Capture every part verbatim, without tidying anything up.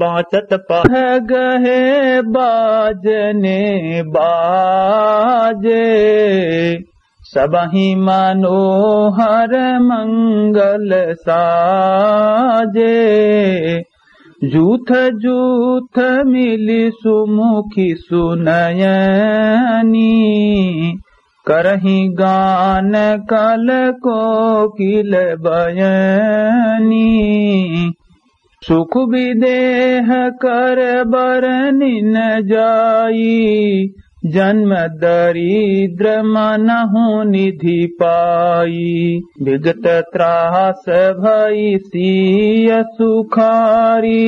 पाँचत पा गहे बाजने बाजे, सबहि मनोहर मंगल साजे। जूथ जूथ मिलि सुमुखि सुनयनी, करहिं गान कल कोकिल बयनी। सुख विदेह कर बरनि न जाई, जन्म दरिद्र मनहु निधि पाई। विगत त्रास भई सिय सुखारी,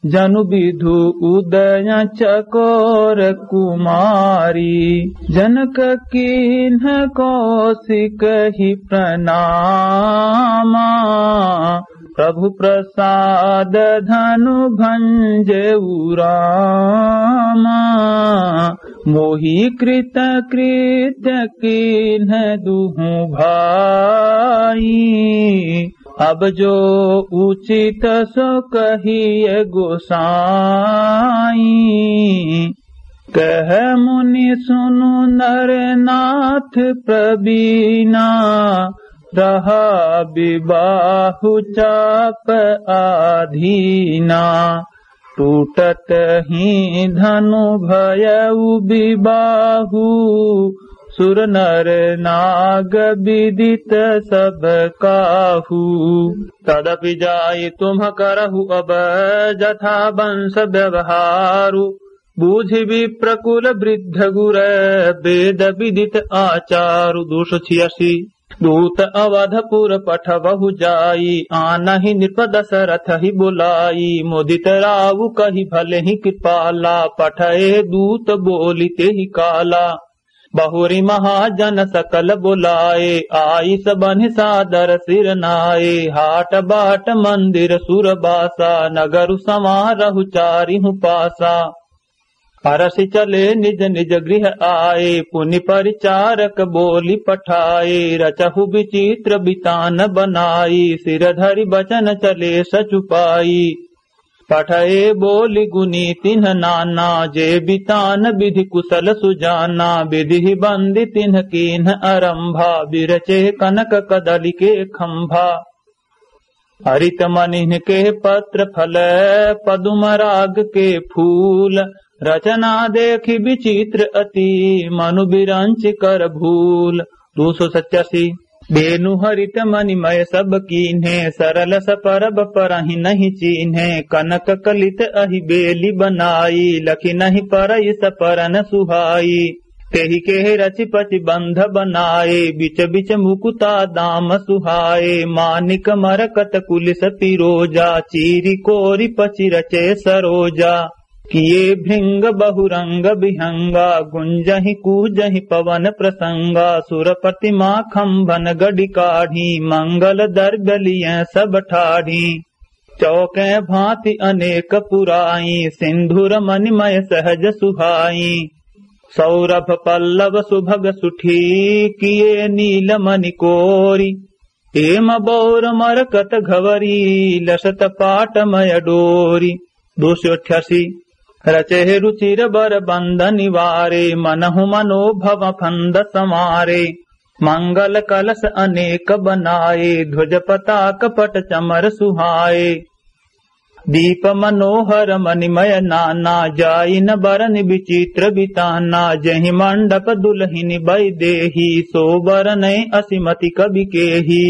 जनु विधु उदय चकोर कुमारी। जनक कीन्ह कौशिक ही प्रणामा, प्रभु प्रसाद धनु भंजेउ रामा। मोहि कृत कृत्य कीन्ह दुहु भाई, अब जो उचित सो कहिए गोसाई। कह मुनि सुनु नर नाथ प्रवीणा, रहा विबाहु चाप आधीना। टूटत ही धनु भयउ विबाहु, सुर नर नाग विदित सब काहू। तदपि जाई तुम्ह करहु अब जथा वंश व्यवहारु, बूझि विप्र कुल वृद्ध गुर वेद विदित आचारु। दो सौ छियासी। दूत अवधपुर पठवहु जाई, आनहि नृप दशरथ ही बुलाई। मुदित राउ कहि भले ही कृपाला, पठए दूत बोलि तेहि काला। बहुरि महाजन सकल बुलाए, आइस बन्हि सादर सिर नाए। हाट बाट मंदिर सुर बासा, नगरु संवारहु चारिहु पासा। अरसि चले निज निज गृह आए, पुनि परिचारक बोलि पठाए। रचहु विचित्र बितान बनाई, सिर धरि बचन चले सचुपाई। पठए बोलि गुनी तिन्ह नाना, जे बितान विधि कुशल सुजाना। विधि बंदी तिन्ह कीन्ह अरंभा, बिरचे कनक कदलि के खंभा। हरित मनिन्ह के पत्र फल, पदुम राग के फूल। रचना देखि विचित्र अति, मनु बिरंचि कर भूल। दो सौ सत्यासी। बेनु हरित मणिमय सब कीन्हे, सरल सपरब परहि नहीं चीन्हे। कनक कलित अहि बेली बनाई, लखि नहीं परइ सपरन सुहाई। तेहि केहे रचि पचि बंध बनाए, बिच बिच मुकुता दाम सुहाए। मानिक मरकत कुलिस पिरोजा, चीरि कोरि पचि रचे सरोजा। किए भृंग बहुरंग विहंगा, गुंजहि कूजहि पवन प्रसंगा। सुर प्रतिमा खंभन गढ़ि काढ़ी, मंगल द्रव्य लिये सब ठाढ़ी। चौके भांति अनेक पुराई, सिंधुर मणिमय सहज सुहाई। सौरभ पल्लव सुभग सुठी, किए नील मणि कोरी। हेम बौर मरकत घवरी, लसत पाटमय डोरी। दो सौ अट्ठासी। रचे रुचिर बर बंध निवारे, मनहु मनोभव फंद संवारे। मंगल कलश अनेक बनाए, ध्वज पताक पट चमर सुहाए। दीप मनोहर मणिमय नाना, जाइन बरन विचित्र बिताना। जहि मंडप दुलहिन बइदेही, सो बरनइ असिमति कबि केही।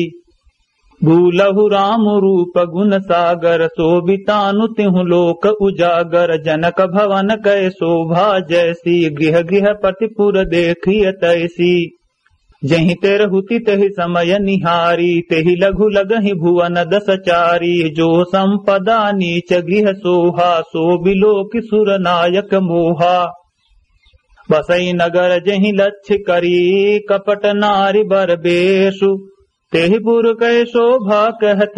भूलहु राम रूप गुण सागर, सो बितानु तिहु लोक उजागर। जनक भवन कै शोभा जैसी, गृह गृह पतिपुर देखिय तैसी। जहि तेरहुति तहि समय निहारी, तेहि लघु लगहि भुवन दस चारी। जो संपदा नीच गृह सोहा, सो बिलोकि सुर नायक मोहा। बसई नगर जहि लक्ष्य करी, कपट नारी बर बेसु। तेहि पुर कै शोभा कहत,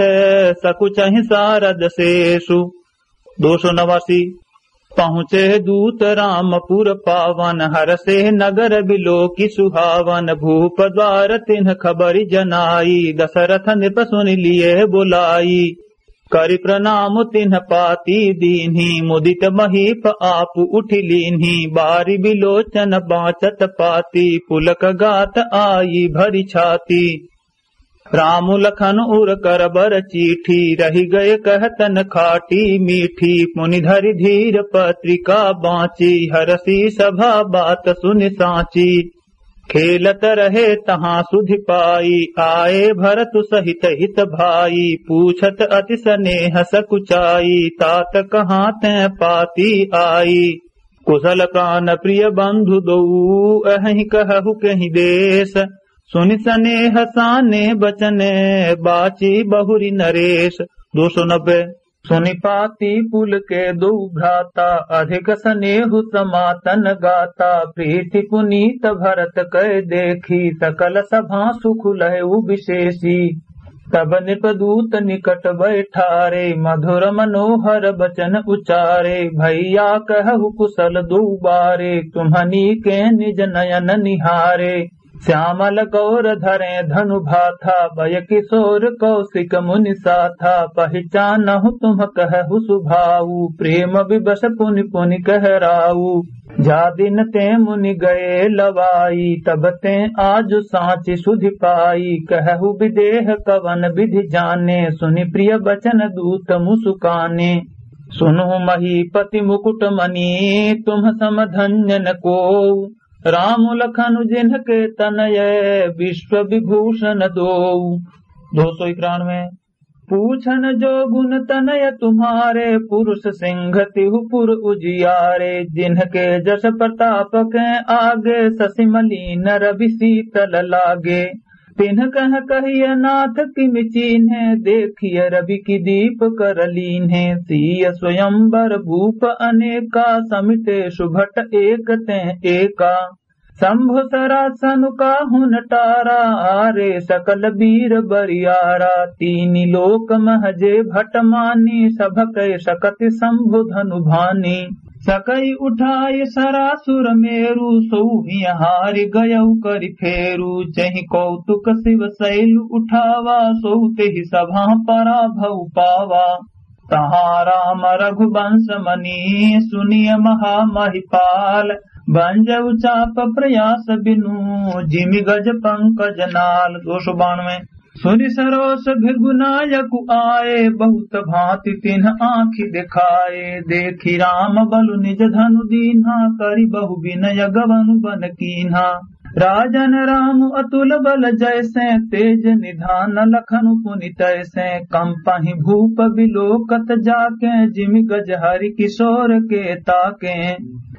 सकुचहि सारद सेसु। दो सौ नवासी। पहुँचे दूत रामपुर पावन, हरषे नगर बिलोकि सुहावन। भूप द्वार तिन्ह खबरि जनाई, दशरथ नृप सुनि लिये बुलाई। करि प्रणाम तिन्ह पाती दीन्ही, मुदित महीप आप उठि लीन्ही। बारि बिलोचन बाँचत पाती, पुलक गात आई भरि छाती। राम लखन उर कर बर चीठी, रहि गए कहतन खाटी मीठी। पुनि धरि धीर पत्रिका बाँची, हरषि सभा बात सुनि साँची। खेलत रहे तहाँ सुधि पाई, आए भरतु सहित हित भाई। पूछत अति सनेह सकुचाई, तात कहाँ तैं पाती आई। कुसल प्रान प्रिय बंधु दोऊ, अहहिं कहहु कहि देस। सुनि सनेह साने बचन, बाँची बहुरि नरेस। दो सौ नब्बे। सुनि पाती पुलके दोऊ भ्राता, अधिक सनेहु समातन गाता। प्रीति पुनीत भरत कै देखी, सकल सभा सुख लहेउ विशेषी। तब नृपदूत निकट बैठारे, मधुर मनोहर बचन उचारे। भैया कहहु कुसल दोऊ बारे, तुम्हनी के निज नयन निहारे। श्यामल गौर धरें धनु भाथा, बय किशोर कौशिक मुनि साथा। पहिचानहु तुम कहहु सुभाऊ, प्रेम विवश पुनि पुनि कहराऊ। जा दिन तें मुनि गए लवाई, तब तें आजु साँचि सुधि पाई। कहहु विदेह कवन विधि जाने, सुनि प्रिय बचन दूत मुसुकाने। सुनहु महीपति मुकुट मणि, तुम सम धन्य न कोऊ। राम लखन जिनके तनय, विश्व विभूषण दोऊ। दो सौ इक्यानवे। पूछन जो गुण तनय तुम्हारे, पुरुष सिंह तिहु पुर उजियारे। जिनके जस प्रताप के आगे, शशि मलिन रवि शीतल लागे। तिन्ह कह कहिय नाथ किमि चीन्हे, देखिय रवि की दीप कर लीन्हे। सीय स्वयंवर भूप अनेका, समिटे सुभट एक तें एका। शंभु सरासनु काहुन टारा, आरे सकल वीर बरियारा। तीनि लोक मह जे भट मानी, सभकै सकति शंभु धनु भानी। सकै उठाय सरासुर मेरु, सोउ हिय हारि गयउ करि फेरु। जहि कौतुक शिव शैल उठावा, सोउ तेहि सभा पराभव पावा। तहाँ राम रघुवंश मनि सुनिय महामहिपाल, बंजउ चाप प्रयास बिनु जिमि गज पंकज नाल। दो सौ बानवे। सुनि सरोष भृगु नायकु आए, बहुत भाँति तिन्ह आँखि देखाए। देखि राम बलु निज धनु दीन्हा, करि बहु बिनय गवनु बन कीन्हा। राजन राम अतुल बल जैसे, तेज निधान लखनु पुनि तैसे। कंपहि भूप बिलोकत जाके, जिमि गज हरि किशोर के ताके।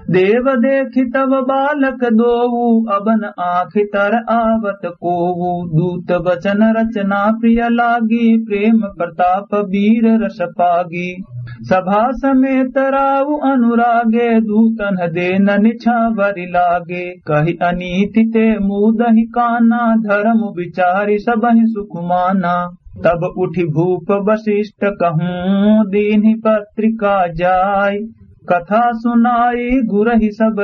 देव देखि तब बालक दोऊ, अबन आँखि तर आवत कोऊ। दूत बचन रचना प्रिय लागी, प्रेम प्रताप वीर रस पागी। सभा समेत राउ अनुरागे, दूतन देन निछावरि लागे। कहि अनीति ते मूदहि काना, धर्म विचारि सबहि सुख माना। तब उठि भूप वशिष्ठ कहूँ, दीन्हि पत्रिका जाइ। कथा सुनाई गुरहि सब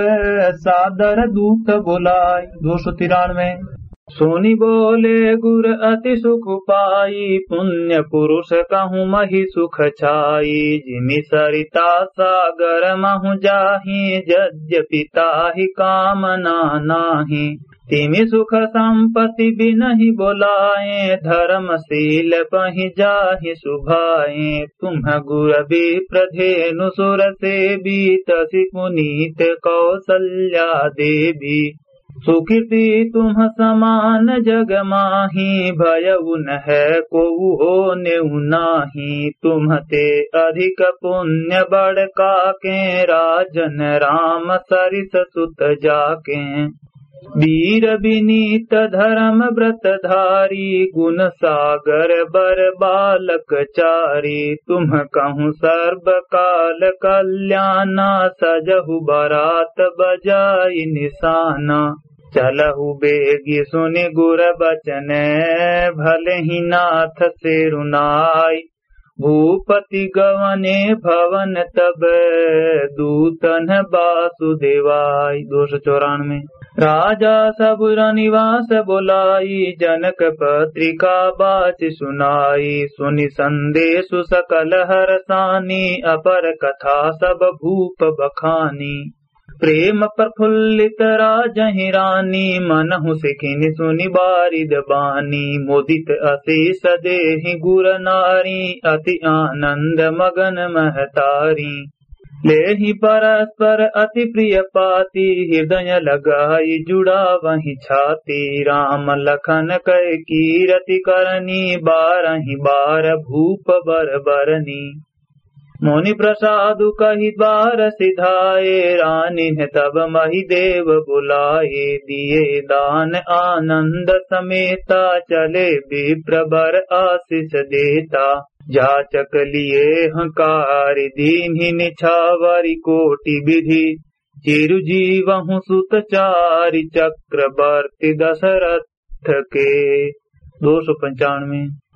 सादर दूत बोलाइ। दो सौ तिरानवे। सुनि बोले गुर अति सुख पाई, पुण्य पुरुष कहूँ महि सुख छाई। जिमि सरिता सागर महु जाहि, यद्यपि ताहि कामना नाहि। तिमि सुख संपत्ति बिनहि बोलाए, धर्मशील पहि जाहि सुभाए। तुम्ह गुर विप्र धेनु सुर सेवी, तसि पुनीत कौसल्या देवी। सुकृति तुम्ह समान जग माही, भयउ नहै कोउ होनेउ नाहीं। तुम्ह ते अधिक पुण्य बड़का कें, राजन राम सरिस सुत जाकें। वीर विनीत धर्म व्रत धारी, गुण सागर बर बालक चारी। तुम्ह कहूँ सर्व काल कल्याना, सजहु बरात बजाई निसाना। चलहु बेगि सुनि गुर बचन, भलहिं नाथ सिरुनाई। भूपति गवने भवन तब, दूतन बासुदेवाई। दो सौ चौरानवे। राजा सब रनिवास बोलाई, जनक पत्रिका बाचि सुनाई। सुनि संदेसु सकल हरसानी, अपर कथा सब भूप बखानी। प्रेम प्रफुल्लित राजहिं रानी, मनहु सिखिनि सुनि बारिद बानी। मुदित असीस देहिं गुर नारी, अति आनंद मगन महतारी। लेहिं परस्पर अति प्रिय पाती, हृदय लगाई जुड़ावहिं छाती। राम लखन कै कीरति करनी, बारहिं बार भूप बर बरनी। मुनि प्रसादु कहि बार सिधाए, रानिन्ह तब महि देव बुलाए। दिए दान आनंद समेता, चले विप्र बर आसिस देता। जाचक लिएहँ कारि दीन्हि निछावरि कोटि बिधि, चिरु जीवहु सुत चारि चक्रवर्ति दशरथ के। दो सौ पंचानवे।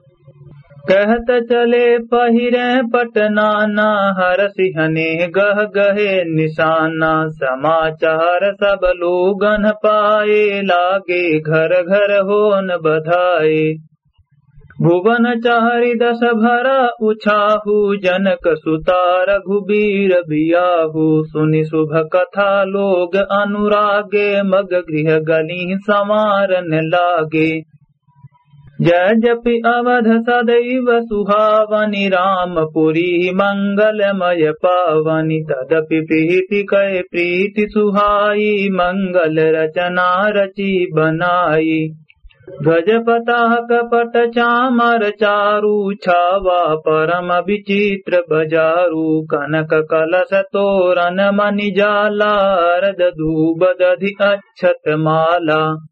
कहत चले पहिरे पट नाना, हरसि हनेह गह गहे निसाना। समाचार सब लोगन पाए, लागे घर घर होन बधाए। भुवन चारि दस भरा उछाहु, जनक सुता रघुबीर बियाहु। सुनि सुभ कथा लोग अनुरागे, मग गृह गलिहिं सँवारन लागे। जय जपि अवध सदैव सुहावनि, रामपुरी मंगलमय पावनि। तदपि प्रीति कै प्रीति सुहाई, मंगल रचना रचि बनाई। ध्वज पताक पट चामर चारु, छावा परम विचित्र बजारु। कनक कलश तोरन मनि जाला, अरद धूप दधि अक्षत माला।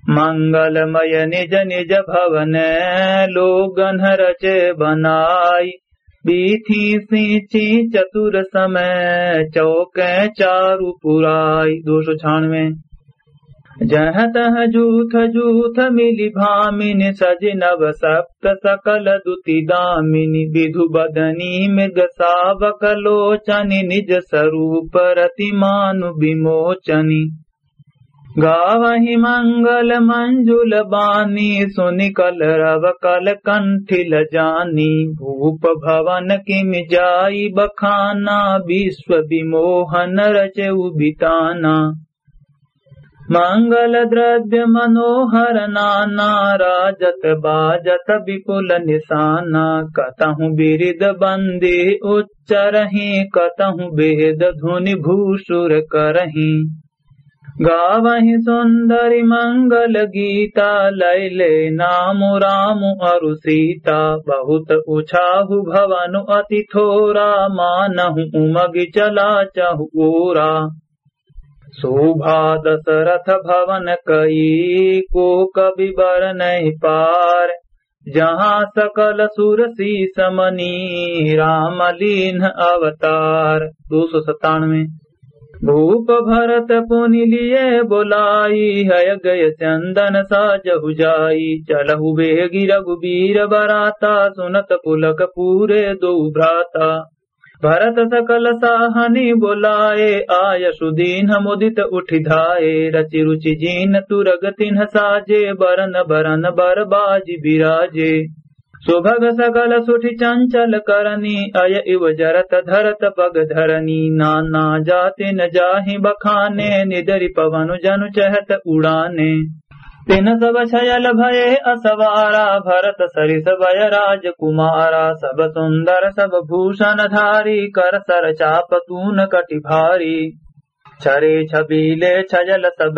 मंगलमय निज निज भवन लोगन रचे बनाई। बीथी सींची चतुर समय चौके चारु पुराई। दो सौ छानवे। जह तह जूथ जूथ मिली भामिनी सजि नव सप्त सकल दुति दामिनी। विधु बदनी मृग सावक लोचनी निज स्वरूप रति मानु विमोचनी। गावहि मंगल मंजुल बानी, सुनि कलरव कल कंठि लजानी। भूप भवन किमि जाई बखाना, विश्व विमोहन रचेउ बिताना। मंगल द्रव्य मनोहर नाना, राजत बाजत विपुल निसाना। कतहु बिरिद बंदी उच्चरहीं, कतहु वेद धुनि भूसुर करहीं। गावहि सुंदरि मंगल गीता, लैले नाम राम अरु सीता। बहुत उछाहु भवन अति थोरा, मानहु उमगि चला चहुओरा। शोभा दशरथ भवन कई, को कवि बरनहिं पार। जहाँ सकल सुर सीस मनि, राम लीन्ह अवतार। दो सौ सत्तानवे। भूप भरत पुनि लिए बोलाई, हय गय चंदन साजहु जाई। चलहु बेगि रघुबीर बराता, सुनत पुलक पूरे दोउ भ्राता। भरत सकल साहनि बोलाए, आय सुदीन्ह मुदित उठि धाए। रचि रुचि जिन तुरग तिन्ह साजे, बरन बरन बर बाजि बिराजे। सुभग सकल सुठि चंचल करनी, अय इव जरत धरत पग धरनी। नाना जातिन जाहि बखाने, निदरि पवनु जनु चहत उड़ाने। तिन्ह सब छयल भये असवारा, भरत सरिस वय राजकुमारा। सब सुंदर सब भूषण धारी, कर सर चाप तून कटि भारी। छरे छबीले छयल सब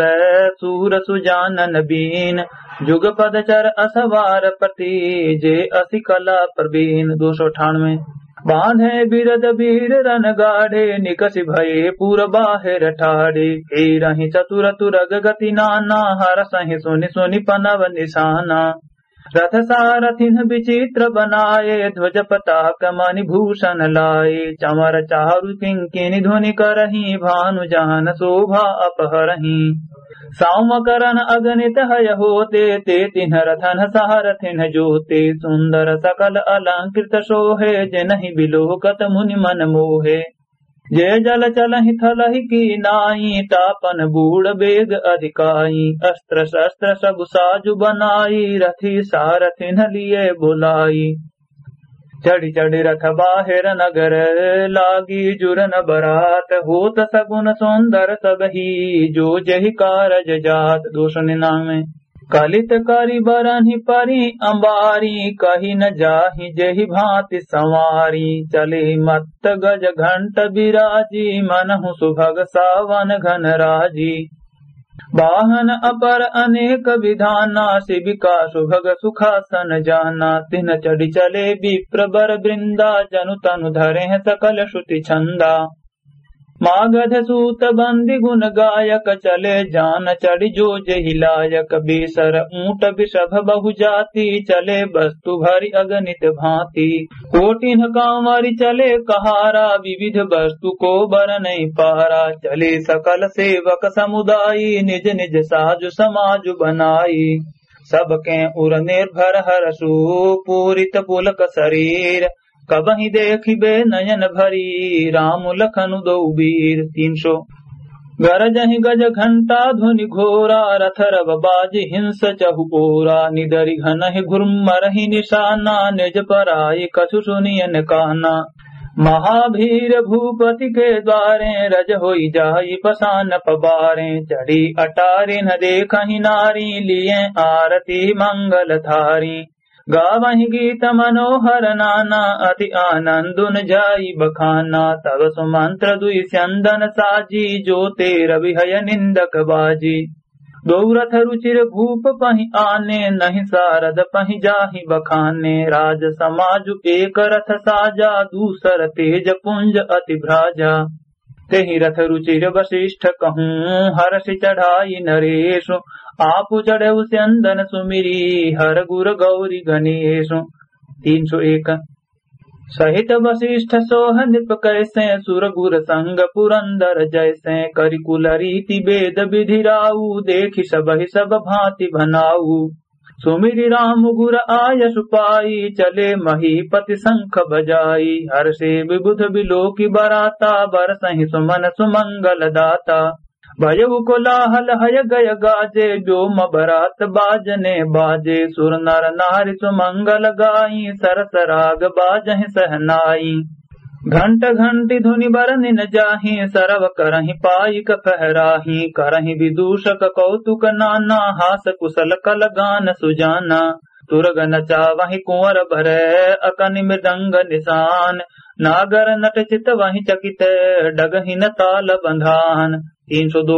सूर सुजानन बीन, जुगपद चर असवार प्रति, जे असि कला प्रवीन। दो सौ अठानवे। बांधे बिरद बीर रन गाढ़े, निकसि भये पुर बाहेर ठाढ़े। हेरहिं चतुर तुरग गति नाना, हरसहिं सुनि सुनि पनव निसाना। रथ सारथिन्ह विचित्र बनाए, ध्वज पताक मणि भूषण लाए। चमर चारु किंकिनि ध्वनि करहिं, भानु जहन शोभा अपहरहिं। साउं करन अगनित हय होते, ते तिन्ह रथन सारथिन्ह जोते। सुंदर सकल अलंकृत सोहे, जिनहि बिलोकत मुनि मन मोहे। जे जल चलहि थलहि की नाई, तापन बूढ़ बेग अधिकाई। अस्त्र शस्त्र सब साजु बनाई, रथि सारथिन लिए बुलाई। चढ़ि चढ़ि रथ बाहेर नगर, लागी जुरन बरात। होत सगुन सुंदर सबही, जो जहि कारज जात। दो सौ निन्यानवे। कलित करि बरनि परि अंबारी, कहि न जाहि जेहि भांति संवारी। चले मत्त गज घंट बिराजी, मनहु सुभग सावन घन राजी। वाहन अपर अनेक विधाना, सिबिका सुभग सुखासन जाना। तिन्ह चढ़ि चले विप्र बर वृंदा, जनु तनु धरें सकल श्रुति छंदा। मागध सूत बंदी गुण गायक, चले जान चढ़ि जो जेहि लायक। बेसर ऊंट वृषभ बहु जाति, चले वस्तु भरि अगणित भांति। कोटिन कांवरि चले कहारा, विविध वस्तु को बरनइ पारा। चले सकल सेवक समुदायी, निज निज साजु समाजु बनाई। सबके उर निर्भर हरषु, पूरित पुलक शरीर। कबहिं देखिबे नयन भरी, राम लखन दो वीर। तीन सौ। गरजहि गज घंटा ध्वनि घोरा, रथ रव बाजि हिंस चहु ओरा। निदरि घनहि घुर्मरहि निशाना, निज पराइ कछु सुनियन काना। महाभीर भूपति के द्वारे, रज होइ जाई पसान पबारे। चढ़ी अटारिन देखहि नारी, लिये आरती मंगल थारी। गावहि गीत मनोहर नाना, अति आनंदुन जाई बखाना। तब सुमंत्र दुइ स्यंदन साजी, जो ते रवि हय निंदक बाजी। दो रथ रुचिर भूप पहि आने, नहीं सारद पहि जाहि बखाने। राज समाजु एक रथ साजा, दूसर तेज पुंज अति भ्राजा। तेहि रथ रुचिर वशिष्ठ कहूँ, हरषि चढ़ाई नरेशु। आपु चढ़उ स्यंदन सुमिरी, हर गुर गौरी गणेशु। तीन सौ एक। सहित वशिष्ठ सोह नृप कैसे, सुर गुर संग पुरंदर जैसे। करि कुल रीति वेद विधि राऊ, देखि सबहि सब भांति भनाऊ। सुमिरि राम गुर आयसु पाई, चले महीपति शंख बजाई। हरषे विबुध विलोकि बराता, बरसहि सुमन सुमंगल दाता। भयउ कोलाहल हय गय गाजे, व्योम बरात बाजने बाजे। सुर नर नारि सुमंगल गाई, सरस राग बाजहि सहनाई। घंट घंटी धुनि बरनिन जाहि, सरव करहिं पाइक फहराहि। करहिं विदूषक कौतुक नाना, हास कुसल कल गान सुजाना। तुरग नचावहिं कुंवर बर, अकनि मृदंग निशान। नागर नट चितवहिं चकित, डगहिन ताल बंधान। तीन सौ दो।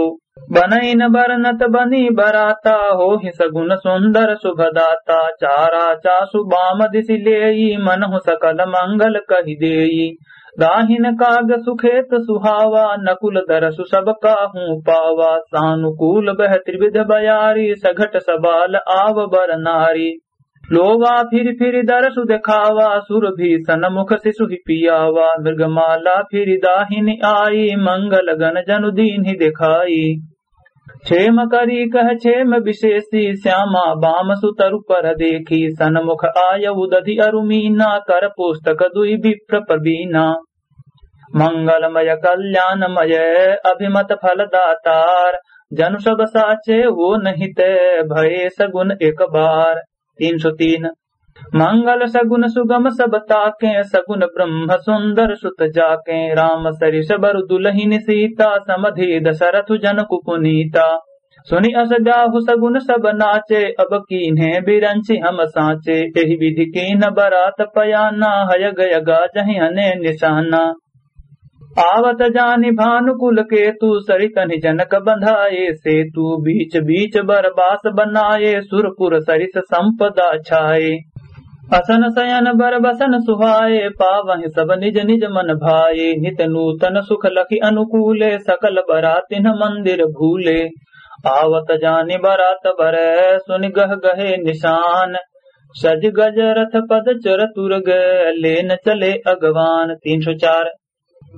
बनइन बरनत बनी बराता, होहि सगुन सुंदर सुभदाता। चारा चासु बाम दिसि लेई, मनहु सकल मंगल कहि देई। दाहिन काग सुखेत सुहावा, नकुल दरसु सब काहू पावा। सानुकूल बह त्रिविध बयारी, सघट सबाल आव बर नारी। लोवा फिरि फिरि दरसु देखावा, सुर भीषण मुख सिसुहि पियावा। मृगमाला फिरि दाहिनि आई, मंगल गण जनु दीन्हि देखाई। क्षेम करी कह क्षेम विशेषी, श्यामा बाम सुतरु पर देखी। सन्मुख आयउ दधि अरु मीना, कर पुस्तक दुइ विप्र प्रवीना। मंगलमय कल्याणमय अभिमत फल दातार, जनु सब साचे होनहिं ते भये सगुन एक बार। तीन सौ तीन। मंगल सगुन सुगम सब ताकें, सगुन ब्रह्म सुंदर सुत जाकें। राम सरिस बरु दुलहिन सीता, समधि दशरथ जनकु पुनीता। सुनि अस जाहु सगुन सब नाचे, अब कीन्हें बिरंचि हम साँचे। एहि विधि कीन्ह बरात पयाना, हय गय गाजहिं अनेक निसाना। आवत जानि भानुकुल केतु, सरितनि जनक बंधाए सेतु। बीच बीच बर बास बनाए, सुरपुर सरिस संपदा छाए। असन सयन बर बसन सुहाए, पावहिं सब निज निज मन भाए। नित नूतन सुख लखि अनुकूले, सकल बरातिन्ह मंदिर भूले। आवत जानि बरात बर, सुनि गह गहे निसान। सजि गज रथ पद चर तुरग, लेन चले अगवान। तीन सौ चार।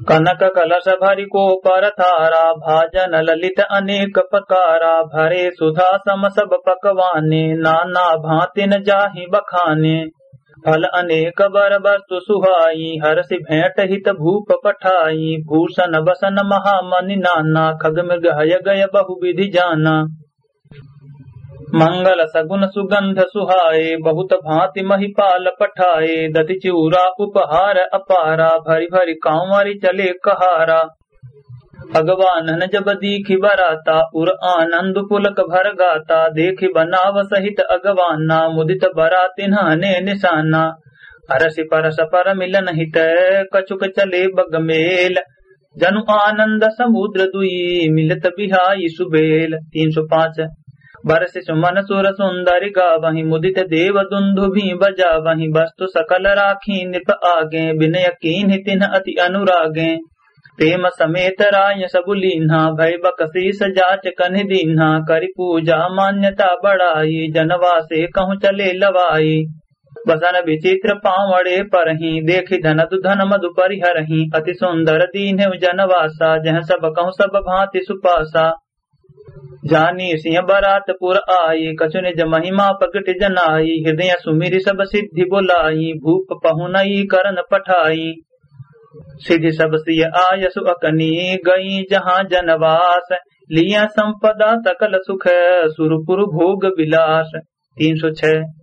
कनक कलश भरि को पर थारा, भाजन ललित अनेक प्रकारा। भरे सुधा सम सब पकवाने, नाना भांतिन जाहि बखाने। फल अनेक बर वस्तु सुहाई, हरषि भेंट हित भूप पठाई। भूषण वसन महामणि नाना, खग मृग हय गय बहु विधि जाना। मंगल सगुन सुगंध सुहाए, बहुत भांति महिपाल पठाए। दति चिउरा उपहार अपारा, भरि भरि कांवरि चले कहारा। अगवानन जब दीखि बराता, उर आनंद पुलक भर गाता। देखि बनाव सहित अगवाना, मुदित बरा तिन्हने निशाना। अरसि परस पर मिलन हित, कछुक चले बग मेल। जनु आनंद समुद्र दुई, मिलत बिहाई सुबेल। तीन सौ पाँच। बरसि सुमन सुर सुंदरि गावहीं, मुदित देव दुंदुभि बजावहीं। वस्तु सकल राखी नृप आगे, बिनय कीन्हि तिन्ह अति अनुरागे। प्रेम समेत राय सब लीन्हा, भय बकसीस जाच कन्हि दीन्हा। करि पूजा मान्यता बड़ाई, जनवासे कहूँ चले लवाई। वसन विचित्र पावड़े परहीं, देखि धन दुधन मधु परिहरहीं। अति सुंदर दीन्हे जनवासा, जह सब कहूँ सब भांति सुपासा। जानी सिंह बरात पुर आई, कछु निज महिमा प्रगट जनाई। हृदय सुमिरि सब सिद्धि बोलाई, भूप पहुनई करन पठाई। सिद्धि सब सिय आयसु अकनी, गई जहाँ जनवास। लिया संपदा सकल सुख, सुरपुर भोग विलास। तीन सौ छह।